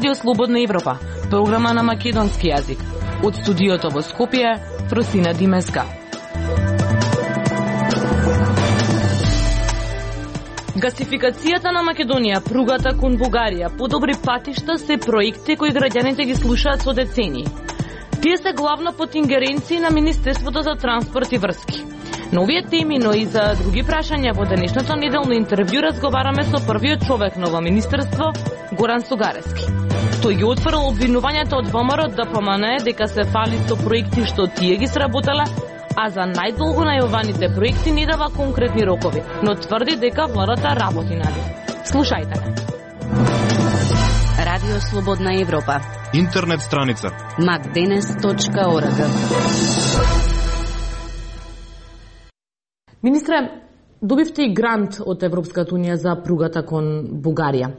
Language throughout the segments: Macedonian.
Радио Слободна Европа, програма на македонски јазик. Од студиото во Скопје, Фросина Димеска. Гасификацијата на Македонија, пругата кон Бугарија, подобри патишта се проекти кои граѓаните ги слушаат со децении. Тие се главно под ингеренции на Министерството за транспорт и врски. На овие теми, но и за други прашања во денешното неделно интервју разговараме со првиот човек на ова министерство, Горан Сугарески. Тој ги отфрл обвинувањето од ВМРО да помане дека се фали со проекти што тие ги сработале, а за најдолго најаваните проекти не дава конкретни рокови, но тврди дека владата работи на нив. Слушајте ме. Радио Слободна Европа. Интернет страница macdenes.org. Министре, добивте и грант од Европската унија за пругата кон Бугарија.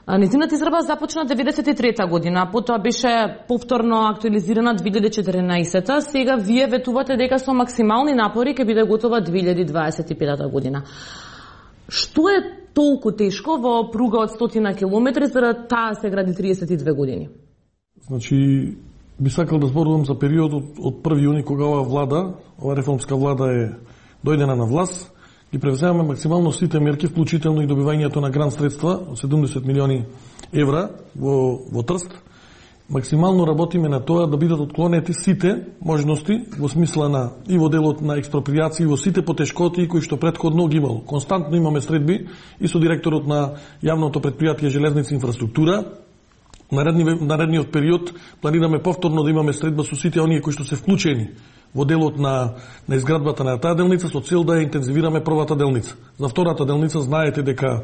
Нејзината изработка започна 1993 година, потоа беше повторно актуализирана 2014. Сега вие ветувате дека со максимални напори ќе биде готова 2025 година. Што е толку тешко во пруга од 100 километри за да таа се гради 32 години? Значи, би сакал да зборувам за периодот од 1 јуни кога ова реформска влада дојдена на власт, ги превземаме максимално сите мерки, вклучително и добивањето на грант средства од 70 милиони евра во Трст. Максимално работиме на тоа да бидат отклонети сите можности во смисла на и во делот на експроприација, во сите потешкоти кои што претходно ги имало. Константно имаме средби и со директорот на јавното претпријатие Железници инфраструктура. Наредниот период планираме повторно да имаме средба со сите оние кои што се вклучени во делот на изградбата на таа делница со цел да ја интензивираме првата делница. За втората делница знаете дека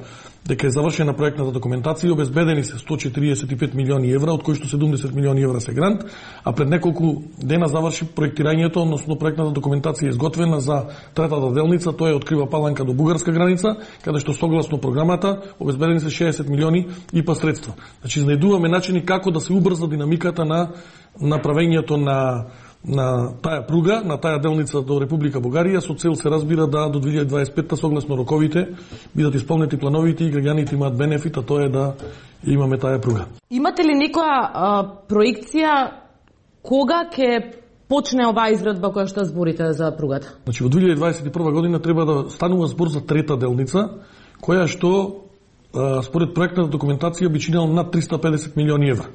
е завршена проектната документација, обезбедени се 145 милиони евра, од кои што 70 милиони евра се грант, а пред неколку дена заврши проектирањето, односно проектната документација е изготвена за третата делница, тоа е од Крива Паланка до бугарска граница, каде што согласно програмата обезбедени се 60 милиони ИПА средства. Значи, знајдуваме начини како да се убрза динамиката на направењето на таа пруга, на таа делница до Република Бугарија, со цел се разбира да до 2025 согласно роковите бидат исполнети плановите и граѓаните имаат бенефит, а тоа е да имаме таа пруга. Имате ли некоја проекција кога ќе почне оваа изградба која што зборите за пругата? Значи во 2021 година треба да станува збор за трета делница, која што според проектната документација би чинела над 350 милиони евра.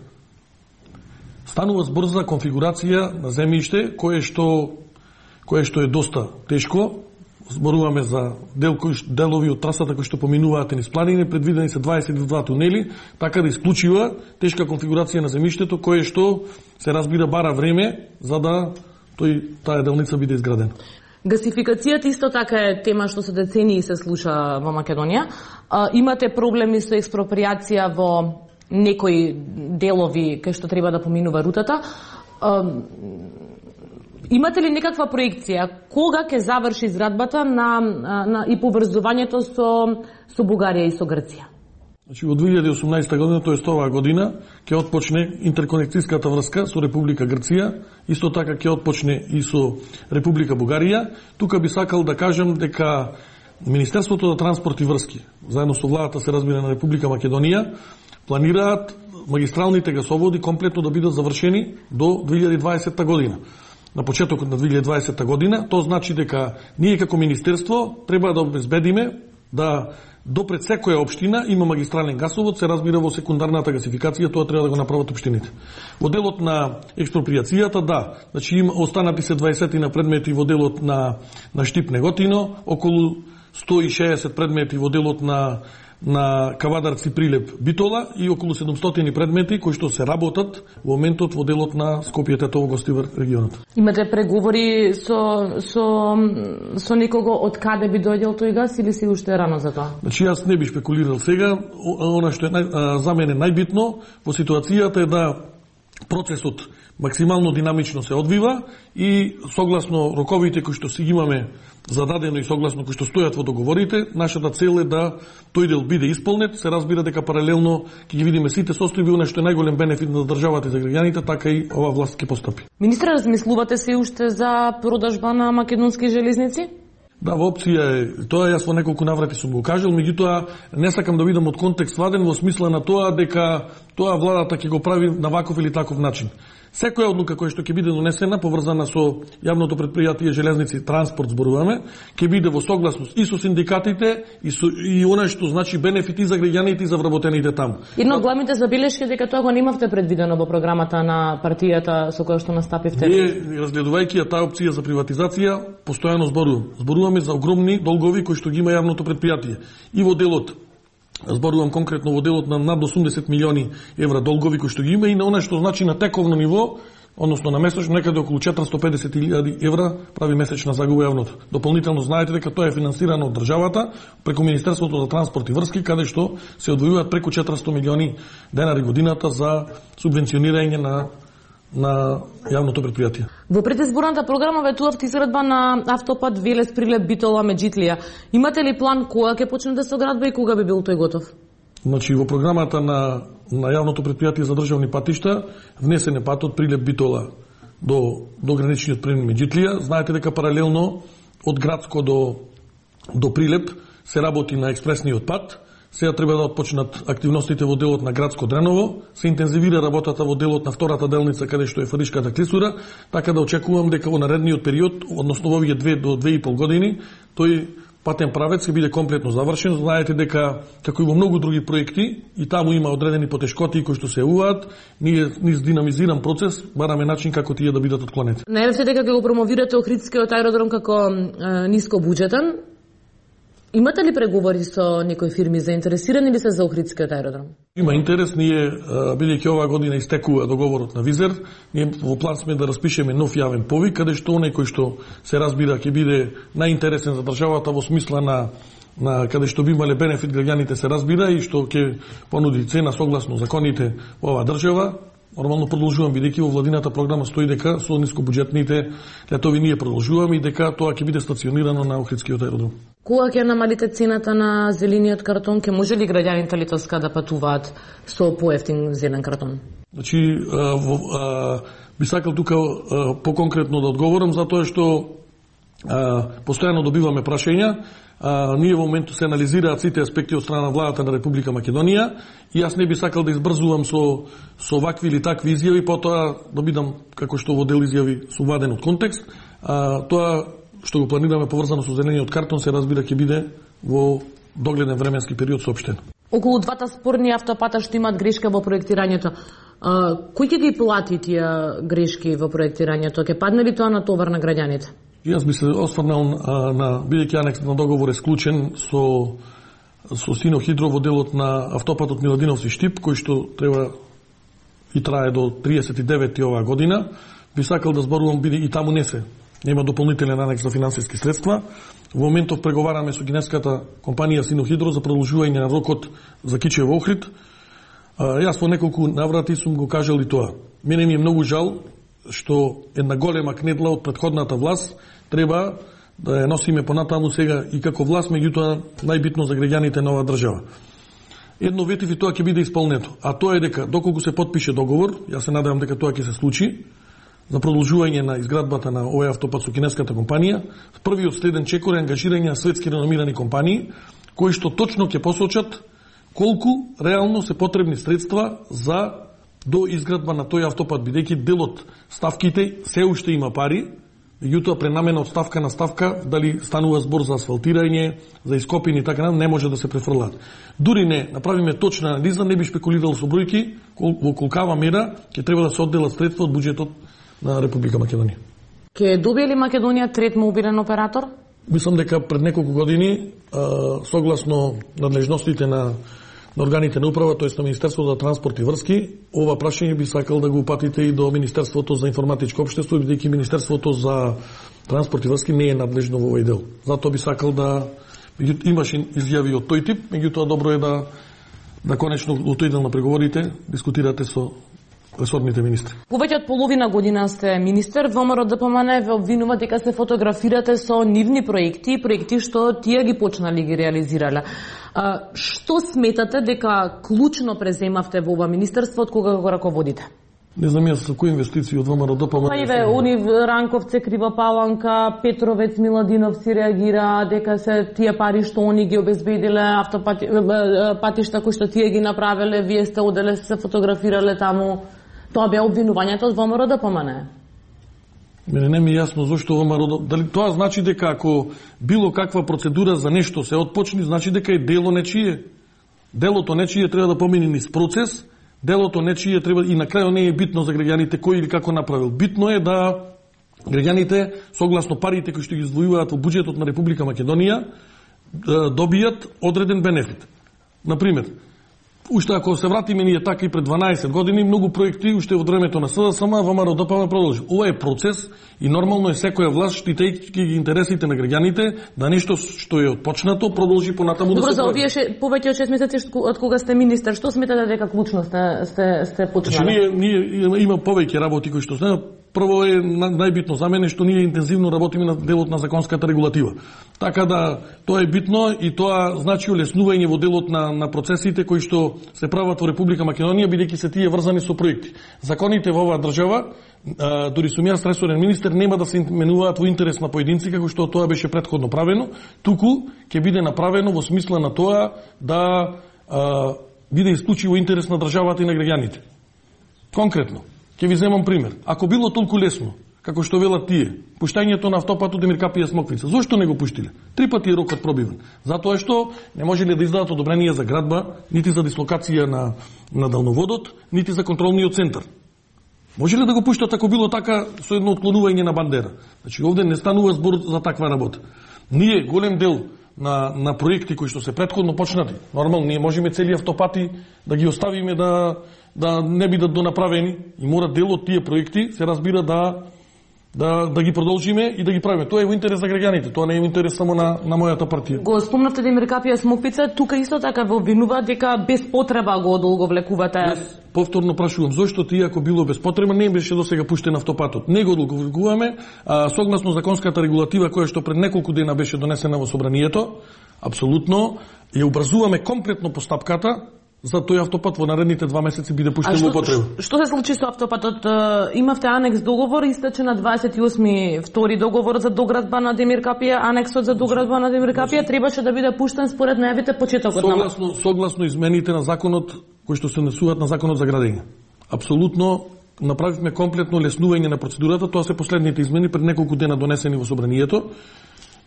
Станува збор за конфигурација на земјиште кое што е доста тешко. Зборуваме за делови од трасата кои што поминуваат низ планини, предвидени се 22 тунели, така да исклучува тешка конфигурација на земјиштето кое што се разбира бара време за да таа делница биде изградена. Гасификацијата исто така е тема што со децении се слуша во Македонија. Имате проблеми со експроприација во некои делови кај што треба да поминува рутата. Имате ли некаква проекција кога ќе заврши изградбата и поврзувањето со Бугарија и со Грција? Значи во 2018 година, тоест оваа година, ќе отпочне интерконекцијската врска со Република Грција, исто така ќе отпочне и со Република Бугарија. Тука би сакал да кажам дека Министерството за транспорт и врски, заедно со владата се разбира на Република Македонија, планираат магистралните гасоводи комплетно да бидат завршени до 2020 година. На почетокот на 2020 година, тоа значи дека ние како министерство треба да обезбедиме да допред секоја општина има магистрален гасовод, се разбира во секундарната гасификација, тоа треба да го направат општините. Во делот на експроприацијата, да, значи останати се 20 на предмети во делот на Штип Неготино, околу 160 предмети во делот на Кавадарци Прилеп Битола и околу 700 предмети кои што се работат во моментот во делот на Скопје Тетово Гостивар регионот. Имате преговори со некого од каде би дојдел тој газ или си уште рано за тоа? Значи јас не би спекулирал сега, она што е за мене најбитно во ситуацијата е да процесот максимално динамично се одвива и согласно роковите кои што си имаме зададено и согласно кои што стојат во договорите, нашата цел е да тој дел биде исполнет. Се разбира дека паралелно ќе ги видиме сите состојби, она што е најголем бенефит на државата и за граѓаните, така и ова власт ќе постапи. Министре, размислувате се уште за продажба на македонски железници? Да, во опција е, тоа јас во неколку наврати сум го кажал, меѓутоа не сакам да видам од контекст ваден во смисла на тоа дека тоа владата ќе го прави на ваков или таков начин. Секоја одлука која што ќе биде донесена поврзана со јавното предпријатие Железници транспорт зборуваме, ќе биде во согласност и со синдикатите и она што значи бенефити за граѓаните и за вработените таму. Едно од главните забелешки дека тоа го немавте предвидено во програмата на партијата со која што настапивте. Ние разгледувајќи таа опција за приватизација, постојано зборуваме за огромни долгови кои што ги има јавното предпријатие. И во делот зборувам конкретно во делот на над 80 милиони евра долгови кои што ги има и на она што значи на тековно ниво, односно на месечно некаде околу 450.000 евра прави месечна загуба јавното. Дополнително знаете дека тоа е финансирано од државата преку Министерството за транспорт и врски, каде што се одвојуваат преку 400 милиони денари годината за субвенционирање на јавното предпријатие. Во предизборната програма ветувавте изградба на автопат Велес Прилеп Битола Меджитлија. Имате ли план кога ќе почне да се градба и кога би бил тој готов? Значи во програмата на јавното предпријатие за државни патишта внесен е патот Прилеп Битола до граничниот премин Меджитлија. Знаете дека паралелно од Градско до Прилеп се работи на експресниот пат. Сега треба да отпочнат активностите во делот на Градско Дреново, се интензивира работата во делот на втората делница каде што е Фаришката клисура, така да очекувам дека во наредниот период, односно во овие 2 до 2,5 години, тој патен правец ќе биде комплетно завршен. Знаете дека како и во многу други проекти и таму има одредени потешкоти кои што се јавуваат, ние низ динамизиран процес бараме начин како тие да бидат отклонети. Најавте дека ќе го промовирате Охридскиот аеродром како ниско буџетен. Имате ли преговори со некои фирми заинтересирани ли се за Охридскиот аеродром? Има интерес, ние бидејќи оваа година истекува договорот на Визер, ние во план сме да распишеме нов јавен повик каде што оној кој што се разбира ќе биде најинтересен за државата во смисла на каде што би имале бенефит граѓаните се разбира и што ќе понуди цена согласно законите во оваа држава. Нормално продолжувам бидејќи во владината програма стои дека со нискобуџетните летови ние продолжуваме и дека тоа ќе биде стационирано на Охридскиот аеродром. Кога ќе намалите цената на зелениот картон, ќе може ли граѓаните Литовска да патуваат со поевтин зелен картон? Значи, би сакал тука поконкретно да одговорам затоа што постојано добиваме прашања. Ние во моментот се анализираат сите аспекти од страна на владата на Република Македонија и јас не би сакал да избрзувам со вакви или такви изјави, потоа да бидам како што во дел изјави сум ваден од контекст. Тоа што го планираме поврзано со зелениот картон се разбира ќе биде во догледен временски период соопштено. Околу двата спорни автопата што имаат грешка во проектирањето, кој ќе ги плати тие грешки во проектирањето? Ќе падне ли тоа на товар на граѓаните? Јас би се осврнал на бидејќи анекс на договор е склучен со Синохидро во делот на автопатот Миладиновци Штип, кој што треба и трае до 39 оваа година. Би сакал да зборувам бидејќи и таму нема дополнителен анекс за финансиски средства. Во моментов преговараме со кинеската компанија Синохидро за продолжување на рокот за Кичево Охрид. Јас во неколку наврати сум го кажал и тоа. Мене ми е многу жал што една голема кнедла од претходната власт треба да ја носиме понатаму сега и како власт, меѓутоа најбитно за граѓаните на оваа држава. Едно ветив и тоа ќе биде исполнето, а тоа е дека доколку се потпише договор, јас се надевам дека тоа ќе се случи, за продолжување на изградбата на овој автопат со кинеската компанија, првиот следен чекор е ангажирање на светски реномирани компании, кои што точно ќе посочат колку реално се потребни средства за до изградба на тој автопат, бидејќи дел од ставките се уште има пари, меѓутоа пренамена од ставка на ставка, дали станува збор за асфалтирање, за ископини и така не може да се префрлаат. Дури не направиме точна анализа, не би шпекулирал со бројки во колкава мера ќе треба да се одделат средства од буџетот на Република Македонија. Ќе добие ли Македонија трет мобилен оператор? Мислам дека пред неколку години, согласно надлежностите на органите на управа, тоест на Министерството за транспорт и врски, ова прашање би сакал да го упатите и до Министерството за информатичко општество, бидејќи Министерството за транспорт и врски не е надлежно во овој дел. Затоа би сакал да имаш изјави од тој тип, меѓутоа добро е да конечно во тој дел на преговорите дискутирате со ресорните министри. Повеќе од половина година сте министер, ВМРО ДПМН ве обвинува дека се фотографирате со нивни проекти што тие ги почнали ги реализирале. Што сметате дека клучно преземавте во ова министерство од кога го раководите? Не знам јас со кои инвестиции од ВМРО-ДПМН. Па иве, уни Ранковце, Крива Паланка, Петровец, Миладинов си реагира дека се тие пари што они ги обезбедиле, патишта кои што тие ги направиле, вие сте оделе се фотографирале таму. Тоа беа обвинувањето од ВМРО-ДПМН. Мене не ми е јасно зошто ВМРО, дали тоа значи дека ако било каква процедура за нешто се отпочни, значи дека е дело нечие. Делото нечие треба да помине низ процес, делото нечие треба и на крајот не е битно за граѓаните кој или како направил. Битно е да граѓаните согласно парите кои што ги издвојуваат во буџетот на Република Македонија добијат одреден бенефит. Например, уште ако се вратиме ние така и пред 12 години, многу проекти уште во времето на СДСМ ВМРО-ДПМН продолжи. Ова е процес и нормално е секоја власт штитејќи ги интересите на граѓаните да нешто што е отпочнато продолжи понатаму да се прави. Добро, за овие повеќе од 6 месеци од кога сте министер, што сметате дека клучно сте почнали? Значи ние има повеќе работи кои што се. Прво е најбитно за мене што ние интензивно работиме на делот на законската регулатива. Така да тоа е битно и тоа значи улеснување во делот на процесите кои што се прават во Република Македонија, бидејќи се тие врзани со проекти. Законите во оваа држава, дури сум јас ресорен министер, нема да се именуваат во интерес на поединци како што тоа беше претходно правено, туку ќе биде направено во смисла на тоа да биде исклучиво интерес на државата и на граѓаните. Конкретно ќе ви земам пример. Ако било толку лесно, како што велат тие, пуштањето на автопатот Емир Капија Смоквица, зошто не го пуштиле? 3 пати е рокот пробивен. Затоа што не можеле да издадат одобрение за градба, нити за дислокација на далноводот, нити за контролниот центар. Можеле да го пуштат ако било така со едно отклонување на бандера. Значи овде не станува збор за таква работа. Ние голем дел на проекти кои што се претходно почнати, нормално ние можеме цели автопати да ги оставиме да не бидат донаправени и мора дел од тие проекти се разбира да ги продолжиме и да ги правиме. Тоа е во интерес за граѓаните, тоа не е во интерес само на мојата партија. Го спомнавте Емир Капија Смоквица, тука исто така во обвинува дека без потреба го одолговлекувате. Повторно прашувам, зошто тие ако било без потреба не беше досега пуштен автопатот? Не го одолговлекуваме, согласно законската регулатива која што пред неколку дена беше донесена во собранието, апсолутно ја убрзуваме комплетно постапката за тој автопат во наредните 2 месеци биде пуштен во употреба. Што се случи со автопатот? Имавте анекс договор, истече на 28 втори договор за доградба на Емир Капија, анексот за доградба на Емир Капија требаше да биде пуштен според најавите почетокот на согласно измените на законот кои што се однесуваат на законот за градење. Апсолутно направивме комплетно леснување на процедурата, тоа се последните измени пред неколку дена донесени во собранието.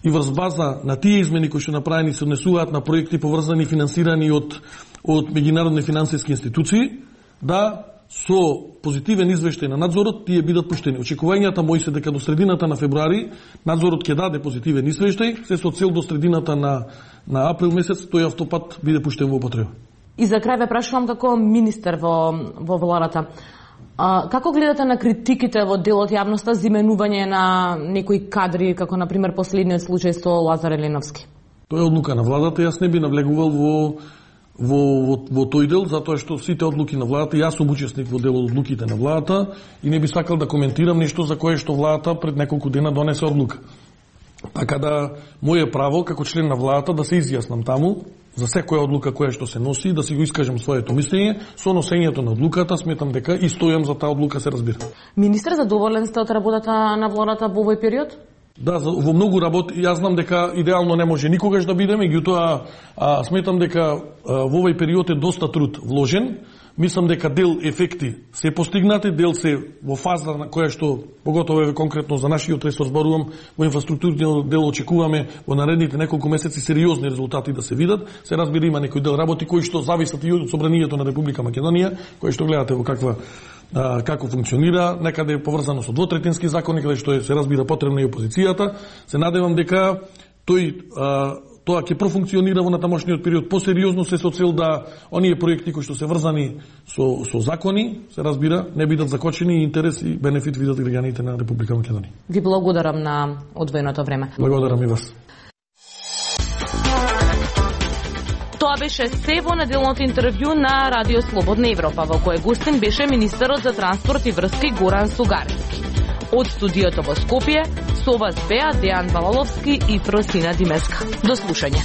И врз база на тие измени кои што направени се однесуваат на проекти поврзани и финансирани од меѓународни финансиски институции, да со позитивен извештај на надзорот тие бидат пуштени. Очекувањата мои се дека до средината на февруари надзорот ќе даде позитивен извештај, се со цел до средината на април месец тој автопат биде пуштен во употреба. И за крај ве прашувам како министер во владата. Како гледате на критиките во дел од јавноста за именување на некои кадри, како на пример последниот случај со Лазар Еленовски? Тоа е одлука на владата, јас не би навлегувал во тој дел, затоа што сите одлуки на владата, јас сум учесник во дел од одлуките на владата и не би сакал да коментирам нешто за кое што владата пред неколку дена донесе одлука. Така да, моје право како член на владата да се изјаснам таму за секоја одлука која што се носи, да си го искажам своето мислење, со носењето на одлуката сметам дека и стојам за таа одлука, се разбира. Министер, задоволен сте од работата на владата во овој период? Да, во многу работи, јас знам дека идеално не може никогаш да биде, меѓутоа сметам дека во овој период е доста труд вложен. Мислам дека дел ефекти се постигнати, дел се во фаза на која што, поготово конкретно за нашиот ресор зборувам, во инфраструктурниот дел очекуваме во наредните неколку месеци сериозни резултати да се видат. Се разбира има некој дел работи кои што зависат и од собранието на Република Македонија, кои што гледате во како функционира, некаде е поврзано со двотретински закони, каде што се разбира потребна и опозицијата. Се надевам дека тоа ќе профункционира во натамошниот период посериозно, се со цел да оние проекти кои што се врзани со закони, се разбира, не бидат закочени и интерес и бенефит видат граѓаните на Република Македонија. Ви благодарам на одвоеното време. Благодарам и вас. Тоа беше се во неделното интервју на Радио Слободна Европа, во кое гостин беше министерот за транспорт и врски Горан Сугаревски. Од студиото во Скопје, со вас беа Дејан Балаловски и Просина Димеска. До слушање.